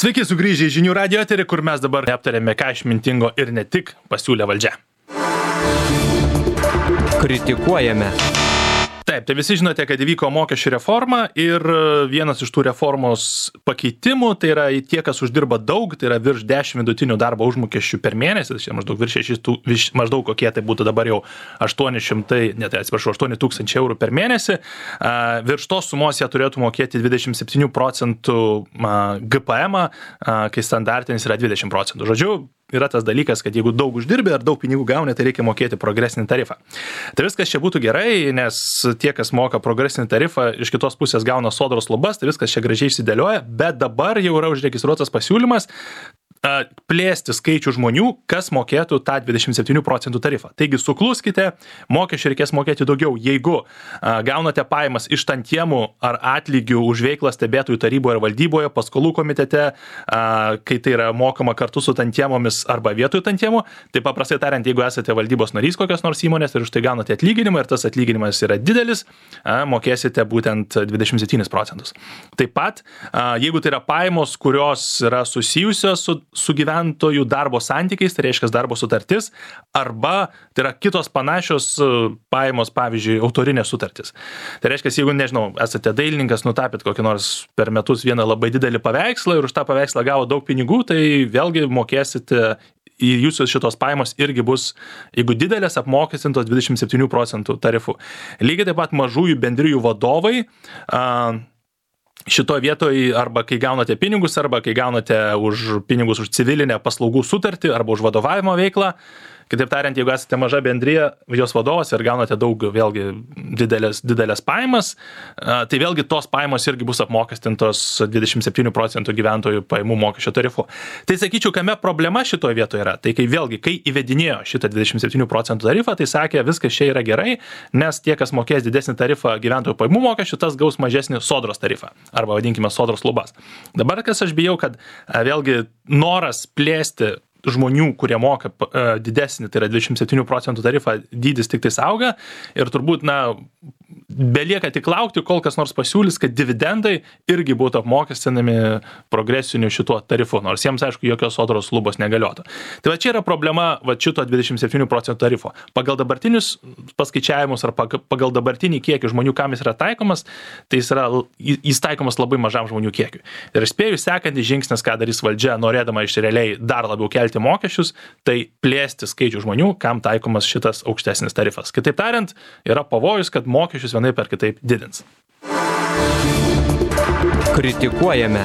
Sveiki sugrįžę į Žinių radijo eterį, kur mes dabar aptarėme, ką išmintingo ir ne tik pasiūlė valdžia. Kritikuojame. Taip, tai visi žinote, kad įvyko mokesčių reforma ir vienas iš tų reformos pakeitimų, tai yra tie, kas uždirba daug, tai yra virš 10 vidutinių darbo užmokesčių per mėnesį, tai maždaug virš 6, maždaug kokie tai būtų dabar jau 8 tūkstančių eurų per mėnesį. Virš tos sumos jie turėtų mokėti 27% GPM, kai standartinis yra 20%. Žodžiu, yra tas dalykas, kad jeigu daug uždirbi ar daug pinigų gauni, tai reikia mokėti progresinį tarifą. Tai viskas čia būtų gerai, nes tie, kas moka progresinį tarifą, iš kitos pusės gauna sodros lubas, tai viskas čia gražiai išsidėlioja, bet dabar jau yra užregistruotas pasiūlymas plėsti skaičių žmonių, kas mokėtų tą 27% tarifą. Taigi sukluskite, mokesčių reikės mokėti daugiau, jeigu gaunate pajamas iš tantiemų ar atlygių už veiklą stebėtojų taryboje ar valdyboje, paskolų komitete, kai tai yra mokama kartu su tantiemomis arba vietoj tantiemų, tai paprastai tariant, jeigu esate valdybos narys kokios nors įmonės ir už tai gaunate atlyginimą ir tas atlyginimas yra didelis, mokėsite būtent 27%. Taip pat, jeigu tai yra pajamos, kurios yra susijusios su gyventojų darbo santykiais, tai reiškia darbo sutartis, arba tai yra kitos panašios pajamos, pavyzdžiui, autorinės sutartis. Tai reiškia, jeigu, nežinau, esate dailininkas, nutapėt kokį nors per metus vieną labai didelį paveikslą ir už tą paveikslą gavo daug pinigų, tai vėlgi mokėsite į jūsų šitos pajamos irgi bus, jeigu didelės, apmokestintos 27% tarifu. Lygiai taip pat mažųjų bendrijų vadovai, šitoje vietoje arba kai gaunate pinigus, arba kai gaunate pinigus už civilinę paslaugų sutartį arba už vadovavimo veiklą. Kitaip tariant, jeigu esate maža bendrija, jos vadovas ir gaunate daug vėlgi didelės pajamas, tai vėlgi tos pajamos irgi bus apmokestintos 27% gyventojų pajamų mokesčio tarifu. Tai sakyčiau, kame problema šitoje vietoje yra. Tai kai įvedinėjo šitą 27% tarifą, tai sakė, viskas čia yra gerai, nes tie, kas mokės didesnį tarifą gyventojų pajamų mokesčių, tas gaus mažesnį sodros tarifą, arba vadinkime sodros lubas. Dabar kas aš bijau, kad vėlgi noras plėsti žmonių, kurie moka didesnį, tai yra 27% tarifą, dydis tik tai auga ir turbūt, belieka tik laukti, kol kas nors pasiūlys, kad dividendai irgi būtų apmokestinami progresiniu šituo tarifu, nors jiems, aišku, jokios sodros lubos negaliotų. Tai va čia yra problema šito 27% tarifo. Pagal dabartinius paskaičiavimus ar pagal dabartinį kiekį žmonių, kam jis yra taikomas, tai jis taikomas labai mažam žmonių kiekiui. Ir spėju, sekantis žingsnis, ką darys valdžia, norėdama iš realiai dar labiau kelti mokesčius, tai plėsti skaičių žmonių, kam taikomas šitas aukštesnis tarifas. Kitaip tariant, yra pavojus, kad mokesčius vienaip ar kitaip didins. Kritikuojame.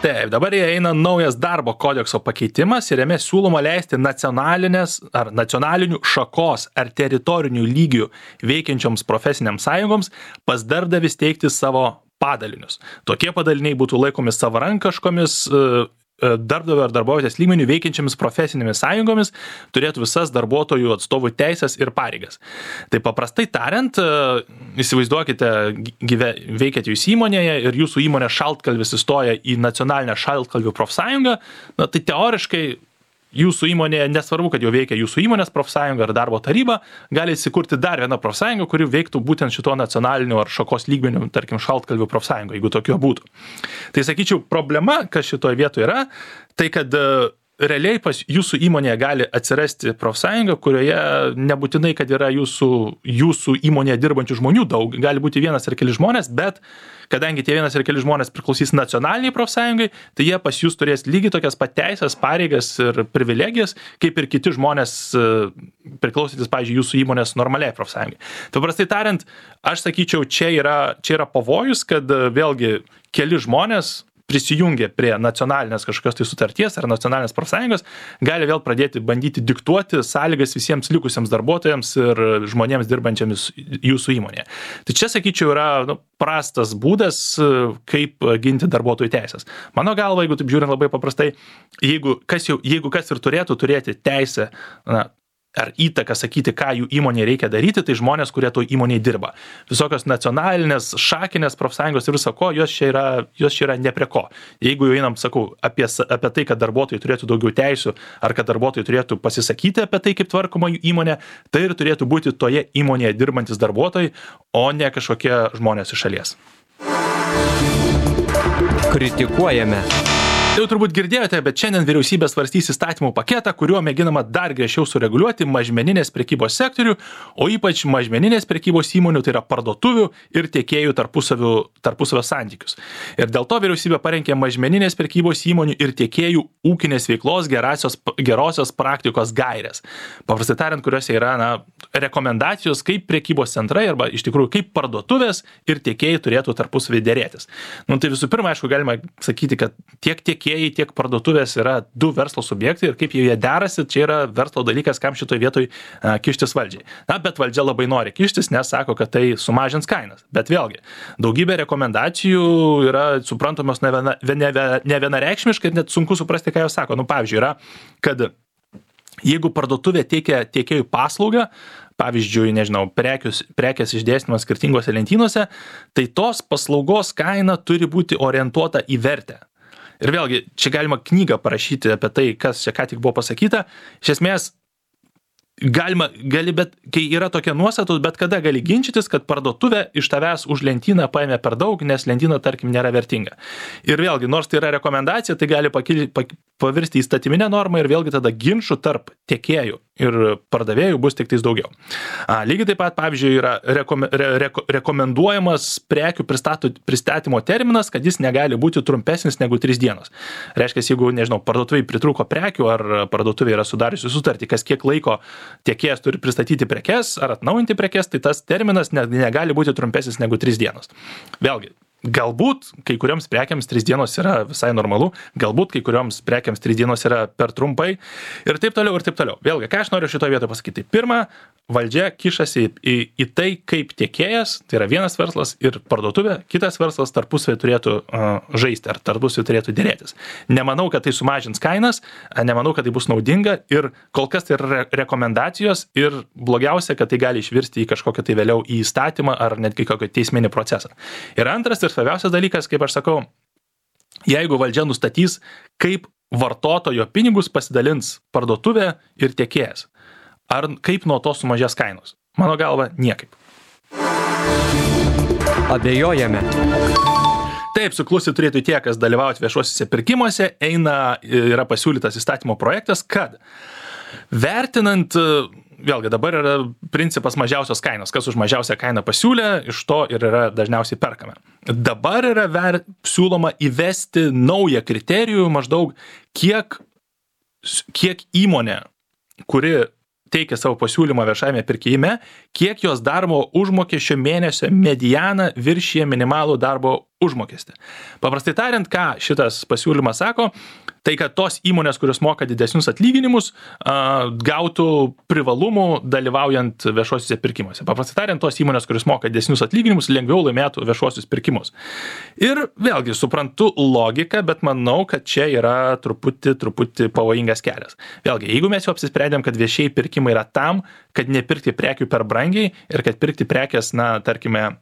Taip, dabar eina naujas darbo kodekso pakeitimas ir jame siūloma leisti nacionalinių šakos ar teritorinių lygių veikiančioms profesiniams sąjungoms pas darbdavį steigti savo padalinius. Tokie padaliniai būtų laikomi savarankiškomis darbdavio ar darbovietės lygmenių veikiančiamis profesinėmis sąjungomis, turėtų visas darbuotojų atstovų teisės ir pareigas. Tai paprastai tariant, įsivaizduokite, veikiate jūs įmonėje ir jūsų įmonė šaltkalvis įstoja į nacionalinę šaltkalvių profsąjungą, tai teoriškai jūsų įmonėje, nesvarbu, kad jau veikia jūsų įmonės profsąjunga ar darbo taryba, gali įsikurti dar vieną profsąjungą, kuri veiktų būtent šito nacionaliniu ar šakos lygmeniu, tarkim, šaltkalvių profsąjunga, jeigu tokio būtų. Tai sakyčiau, problema, kas šitoje vietoje yra, tai kad realiai pas jūsų įmonėje gali atsirasti profsąjunga, kurioje nebūtinai, kad yra jūsų įmonėje dirbančių žmonių daug, gali būti vienas ar keli žmonės, bet kadangi tie vienas ir keli žmonės priklausys nacionaliniai profsąjungai, tai jie pas jūs turės lygiai tokias pat teisės, pareigas ir privilegijas, kaip ir kiti žmonės priklausantis, pavyzdžiui, jūsų įmonės normaliai profsąjungai. Tai paprastai tariant, aš sakyčiau, čia yra pavojus, kad vėlgi keli žmonės prisijungia prie nacionalinės kažkokios tai sutarties ar nacionalinės profsąjungos, gali vėl pradėti bandyti diktuoti sąlygas visiems likusiems darbuotojams ir žmonėms dirbančiams jūsų įmonėje. Tai čia, sakyčiau, yra prastas būdas, kaip ginti darbuotojų teisės. Mano galva, jeigu taip žiūrint labai paprastai, jeigu kas ir turėtų turėti teisę, ar įtaką sakyti, ką jų įmonėje reikia daryti, tai žmonės, kurie to įmonėje dirba. Visokios nacionalinės, šakinės profsąjungos ir viso ko, jos čia yra ne prie ko. Jeigu jau einam, sakau, apie tai, kad darbuotojai turėtų daugiau teisių, ar kad darbuotojai turėtų pasisakyti apie tai, kaip tvarkoma jų įmonė, tai ir turėtų būti toje įmonėje dirbantis darbuotojai, o ne kažkokie žmonės iš šalies. Kritikuojame. Jau turbūt girdėjote, bet šiandien vyriausybė svarstys įstatymų paketą, kuriuo mėginama dar griežčiau sureguliuoti mažmeninės prekybos sektorių, o ypač mažmeninės prekybos įmonių, tai yra parduotuvių ir tiekėjų tarpusavio santykius. Ir dėl to vyriausybė parengė mažmeninės prekybos įmonių ir tiekėjų ūkinės veiklos gerosios praktikos gairės. Paprastai tariant, kuriuose yra rekomendacijos, kaip prekybos centrai arba iš tikrųjų kaip parduotuvės ir tiekėjai turėtų tarpusavį dėrėtis. Tai visų pirma, aišku, galima sakyti, kad tiek tiekėjai, tiek parduotuvės yra du verslo subjektai ir kaip jie derasi, čia yra verslo dalykas, kam šitoje vietoje kištis valdžiai. Bet valdžia labai nori kištis, nes sako, kad tai sumažins kainas. Bet vėlgi, daugybė rekomendacijų yra suprantamos ne vienareikšmiškai, net sunku suprasti, ką jos sako. Pavyzdžiui, yra, kad jeigu parduotuvė teikia tiekėjų paslaugą, pavyzdžiui, prekės išdėstymas skirtingose lentynose, tai tos paslaugos kaina turi būti orientuota į vertę. Ir vėlgi, čia galima knygą parašyti apie tai, kas čia ką tik buvo pasakyta. Iš esmės, bet kai yra tokia nuostatų, bet kada gali ginčytis, kad parduotuvė iš tavęs už lentyną paėmė per daug, nes lentyna, tarkim, nėra vertinga. Ir vėlgi, nors tai yra rekomendacija, tai gali pavirsti įstatyminę normą ir vėlgi tada ginčų tarp tiekėjų ir pardavėjų bus tik tais daugiau. Lygiai taip pat, pavyzdžiui, yra rekomenduojamas prekių pristatymo terminas, kad jis negali būti trumpesnis negu 3 dienos. Reiškia, jeigu, parduotuvai pritrūko prekių ar parduotuvai yra sudariusi sutartį, kas kiek laiko tiekėjas turi pristatyti prekes ar atnaujinti prekes, tai tas terminas negali būti trumpesnis negu 3 dienos. Vėlgi, galbūt kai kurioms prekiams 3 dienos yra visai normalu, galbūt kai kurioms prekiams 3 dienos yra per trumpai ir taip toliau ir taip toliau. Vėlgi, ką aš noriu šitoje vietoje pasakyti? Pirma, valdžia kišasi į tai, kaip tiekėjas, tai yra vienas verslas ir parduotuvė, kitas verslas tarpusavį turėtų žaisti ar tarpusavį turėtų dėrėtis. Nemanau, kad tai sumažins kainas, nemanau, kad tai bus naudinga ir kol kas tai yra rekomendacijos ir blogiausia, kad tai gali išvirsti į kažkokią tai vėliau į įstatymą ar netgi kokį teisminį procesą. Ir antras ir svarbiausias dalykas, kaip aš sakau, jeigu valdžia nustatys, kaip vartotojo pinigus pasidalins parduotuvė ir tiekėjas. Ar kaip nuo to sumažės kainos? Mano galva, niekaip. Abejojame. Taip, suklusti turėtų tie, kas dalyvauti viešuosiuose pirkimuose, yra pasiūlytas įstatymo projektas, kad vertinant, vėlgi dabar yra principas mažiausios kainos, kas už mažiausią kainą pasiūlė, iš to ir yra dažniausiai perkame. Dabar yra siūloma įvesti naują kriterijų maždaug, kiek įmonė, kuri teikia savo pasiūlymą viešajame pirkime, kiek jos darbo užmokesčio mėnesio medianą viršija minimalų darbo užmokestį. Paprastai tariant, ką šitas pasiūlymas sako, tai kad tos įmonės, kurios moka didesnius atlyginimus, gautų privalumų dalyvaujant viešuosiuose pirkimuose. Paprastai tariant, tos įmonės, kurios moka didesnius atlyginimus, lengviau laimėtų viešuosius pirkimus. Ir vėlgi suprantu logiką, bet manau, kad čia yra truputį pavojingas kelias. Vėlgi, jeigu mes jau apsisprendėm, kad viešieji pirkimai yra tam, kad nepirkti prekių per brangiai ir kad pirkti prekės, tarkime,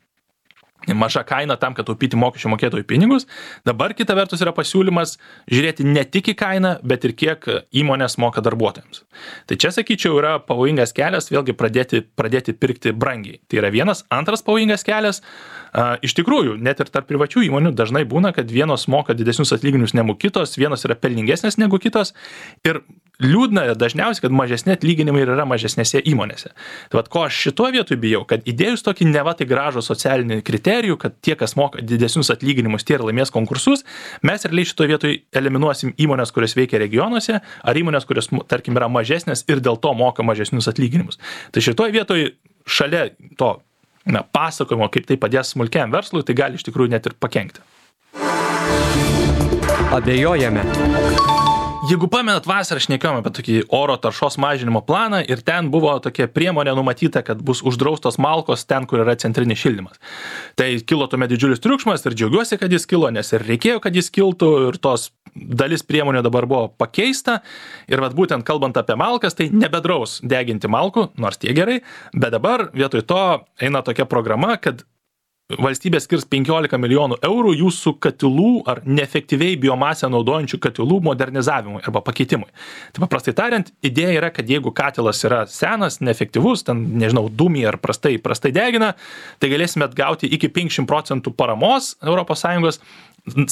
maža kaina tam, kad taupyti mokesčių mokėtojų pinigus. Dabar kita vertus yra pasiūlymas žiūrėti ne tik į kainą, bet ir kiek įmonės moka darbuotojams. Tai čia, sakyčiau, yra pavojingas kelias vėlgi pradėti pirkti brangiai. Tai yra vienas. Antras pavojingas kelias. Iš tikrųjų, net ir tarp privačių įmonių dažnai būna, kad vienos moka didesnius atlyginimus negu kitos, vienos yra pelningesnės negu kitos. Ir liūdna dažniausiai, kad mažesni atlyginimai yra mažesnėse įmonėse. Tai vat, ko aš šitoje vietoje bijau, kad įdėjus tokį neva tai gražų socialinį kriterijų, kad tie, kas moka didesnius atlyginimus, tie ir laimės konkursus, mes realiai šitoje vietoje eliminuosim įmonės, kurios veikia regionuose, ar įmonės, kurios, tarkim, yra mažesnės ir dėl to moka mažesnius atlyginimus. Tai šitoje vietoje šalia to pasakojimo, kaip tai padės smulkiam verslui, tai gali iš tikrųjų net ir pakenkti. Abejojame. Jeigu pamenat, vasarą šnekėjome apie tokį oro taršos mažinimo planą ir ten buvo tokia priemonė numatyta, kad bus uždraustos malkos ten, kur yra centrinis šildymas. Tai kilo tuomet didžiulis triukšmas ir džiaugiuosi, kad jis kilo, nes ir reikėjo, kad jis kiltų ir tos dalis priemonių dabar buvo pakeista. Ir vat būtent kalbant apie malkas, tai nebedraus deginti malkų, nors tie gerai, bet dabar vietoj to eina tokia programa, kad valstybė skirs 15 milijonų eurų jūsų katilų ar neefektyviai biomasę naudojančių katilų modernizavimui arba pakeitimui. Tai paprastai tariant, idėja yra, kad jeigu katilas yra senas, neefektyvus, ten, nežinau, dūmija ar prastai degina, tai galėsime atgauti iki 50% paramos ES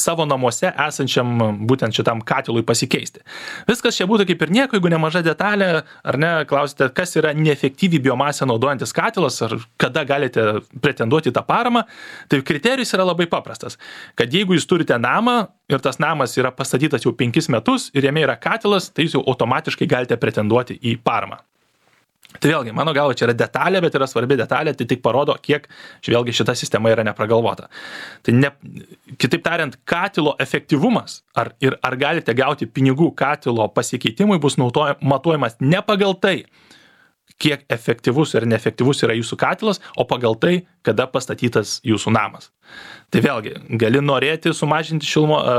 savo namuose esančiam būtent šitam katilui pasikeisti. Viskas čia būtų kaip ir nieko, jeigu nemaža detalė, ar ne, klausite, kas yra neefektyviai biomasę naudojantis katilas, ar kada galite pretenduoti tą paramą, tai kriterijus yra labai paprastas, kad jeigu jūs turite namą ir tas namas yra pastatytas jau 5 metus ir jame yra katilas, tai jūs jau automatiškai galite pretenduoti į paramą. Tai vėlgi, mano galva, čia yra detalė, bet yra svarbi detalė, tai tik parodo, kiek vėlgi šita sistema yra nepragalvota. Tai kitaip tariant, katilo efektyvumas, ar galite gauti pinigų katilo pasikeitimui, bus matuojamas ne pagal tai, kiek efektyvus ir neefektyvus yra jūsų katilas, o pagal tai, kada pastatytas jūsų namas. Tai vėlgi, gali norėti sumažinti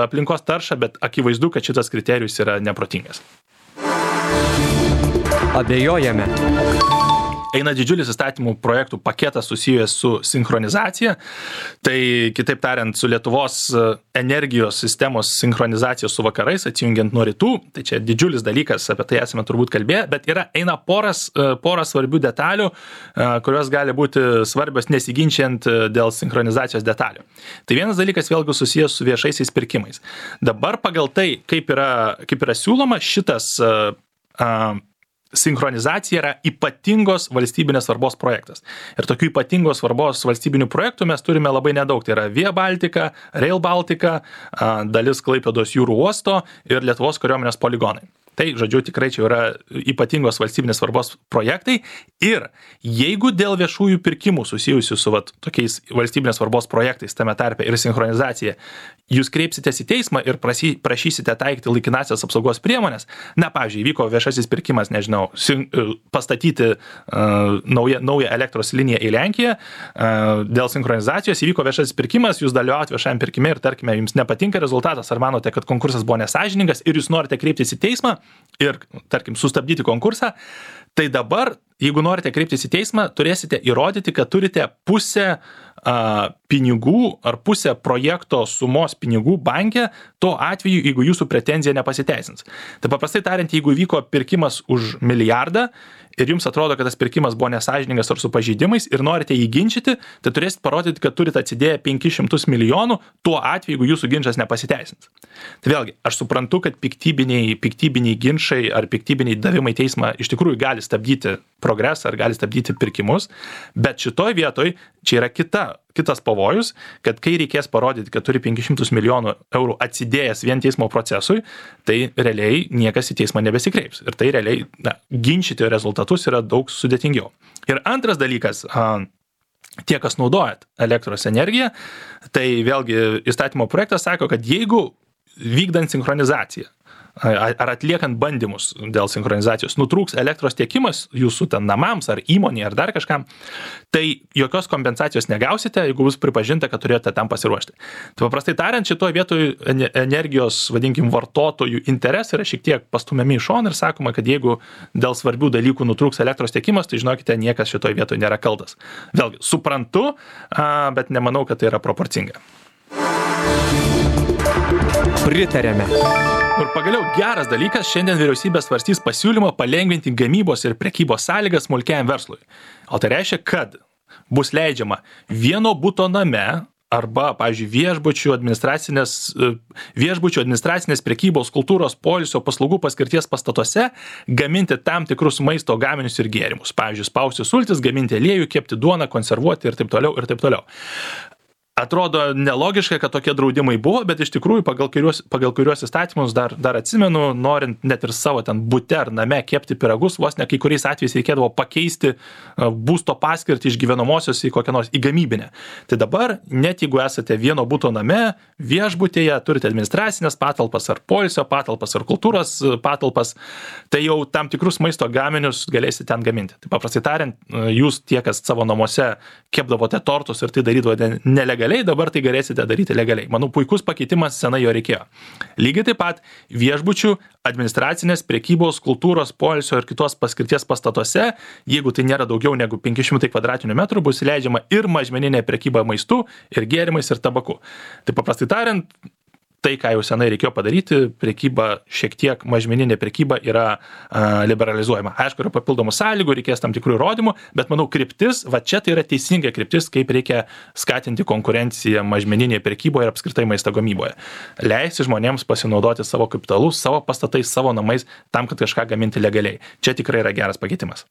aplinkos taršą, bet akivaizdu, kad šitas kriterijus yra neprotingas. Abejojame. Eina didžiulis įstatymų projektų paketas susijęs su sinchronizacija. Tai, kitaip tariant, su Lietuvos energijos sistemos sinchronizacija su vakarais, atsijungiant nuo rytų. Tai čia didžiulis dalykas, apie tai esame turbūt kalbėję, bet eina poras svarbių detalių, kurios gali būti svarbios nesiginčiant dėl sinchronizacijos detalių. Tai vienas dalykas vėlgi susijęs su viešaisiais pirkimais. Dabar pagal tai, kaip yra siūloma, šitas sinchronizacija yra ypatingos valstybinės svarbos projektas. Ir tokių ypatingos svarbos valstybinių projektų mes turime labai nedaug. Tai yra Via Baltica, Rail Baltica, dalis Klaipėdos jūrų uosto ir Lietuvos kariuomenės poligonai. Tai, žodžiu, tikrai čia yra ypatingos valstybinės svarbos projektai ir jeigu dėl viešųjų pirkimų susijusių su tokiais valstybinės svarbos projektais, tame tarpe ir sinchronizacija, jūs kreipsitės į teismą ir prašysite taikyti laikinasias apsaugos priemonės, pavyzdžiui, įvyko viešasis pirkimas, nežinau, pastatyti naują elektros liniją į Lenkiją, dėl sinchronizacijos įvyko viešasis pirkimas, jūs dalyvaujate viešajam pirkime ir, tarkime, jums nepatinka rezultatas, ar manote, kad konkursas buvo nesąžiningas ir jūs norite kreiptis į teismą ir, tarkim, sustabdyti konkursą, tai dabar, jeigu norite kreiptis į teismą, turėsite įrodyti, kad turite pusę pinigų ar pusę projekto sumos pinigų banke, tuo atveju, jeigu jūsų pretenzija nepasiteisins. Tai paprastai tariant, jeigu vyko pirkimas už milijardą ir jums atrodo, kad tas pirkimas buvo nesąžiningas ar su pažeidimais ir norite jį ginčyti, tai turėsite parodyti, kad turite atsidėję 500 milijonų, tuo atveju, jeigu jūsų ginčas nepasiteisins. Tai vėlgi, aš suprantu, kad piktybiniai ginčai ar piktybiniai davimai teismą iš tikrųjų gali stabdyti progresą ar gali stabdyti pirkimus, bet šitoj vietoj čia yra kitas pavojus, kad kai reikės parodyti, kad turi 500 milijonų eurų atsidėjęs vien teismo procesui, tai realiai niekas į teismą nebesikreips. Ir tai realiai ginčyti rezultatus yra daug sudėtingiau. Ir antras dalykas, tie, kas naudojat elektros energiją, tai vėlgi įstatymo projektas sako, kad jeigu vykdant sinchronizaciją ar atliekant bandymus dėl sinchronizacijos nutrūks elektros tiekimas jūsų ten namams ar įmonėje ar dar kažkam, tai jokios kompensacijos negausite, jeigu bus pripažinta, kad turėjote tam pasiruošti. Tai paprastai tariant, šitoje vietoje energijos, vadinkim, vartotojų interesai yra šiek tiek pastumiami į šoną ir sakoma, kad jeigu dėl svarbių dalykų nutrūks elektros tiekimas, tai žinokite, niekas šitoje vietoje nėra kaltas. Vėlgi, suprantu, bet nemanau, kad tai yra proporcinga. Pritarėme. Ir pagaliau geras dalykas, šiandien vyriausybė svarstys pasiūlymą palengvinti gamybos ir prekybos sąlygas smulkiajam verslui. O tai reiškia, kad bus leidžiama vieno buto name arba, pavyzdžiui, viešbučių administracinės prekybos, kultūros, poilsio paslaugų paskirties pastatuose gaminti tam tikrus maisto gaminius ir gėrimus. Pavyzdžiui, spausti sultis, gaminti aliejų, kepti duoną, konservuoti ir taip toliau ir taip toliau. Atrodo nelogiška, kad tokie draudimai buvo, bet iš tikrųjų pagal kuriuos įstatymus dar atsimenu, norint net ir savo ten bute ar name kepti pyragus, vos ne kai kuriais atvejais reikėdavo pakeisti būsto paskirtį iš gyvenamosios į kokią nors į gamybinę. Tai dabar, net jeigu esate vieno buto name, viešbutėje, turite administracinės patalpas ar poilsio patalpas ar kultūros patalpas, tai jau tam tikrus maisto gaminius galėsite ten gaminti. Tai paprastai tariant, jūs tie, kas savo namuose kepdavote tortus ir tai darydavote nelegaliai nelegaliai, dabar tai galėsite daryti legaliai. Manau, puikus pakeitimas, senai jo reikėjo. Lygiai taip pat viešbučių, administracinės, prekybos, kultūros, poilsio ir kitos paskirties pastatuose, jeigu tai nėra daugiau negu 500 kvadratinių metrų, bus leidžiama ir mažmeninė prekyba maistu, ir gėrimais, ir tabaku. Tai paprastai tariant, tai, ką jau senai reikėjo padaryti, prekyba šiek tiek mažmeninė prekyba yra liberalizuojama. Aišku, yra papildomų sąlygų, reikės tam tikrų įrodymų, bet manau, kryptis, va čia tai yra teisinga kryptis, kaip reikia skatinti konkurenciją mažmeninėje prekyboje ir apskritai maisto gamyboje. Leisti žmonėms pasinaudoti savo kapitalu, savo pastatais, savo namais, tam, kad kažką gaminti legaliai. Čia tikrai yra geras pakeitimas.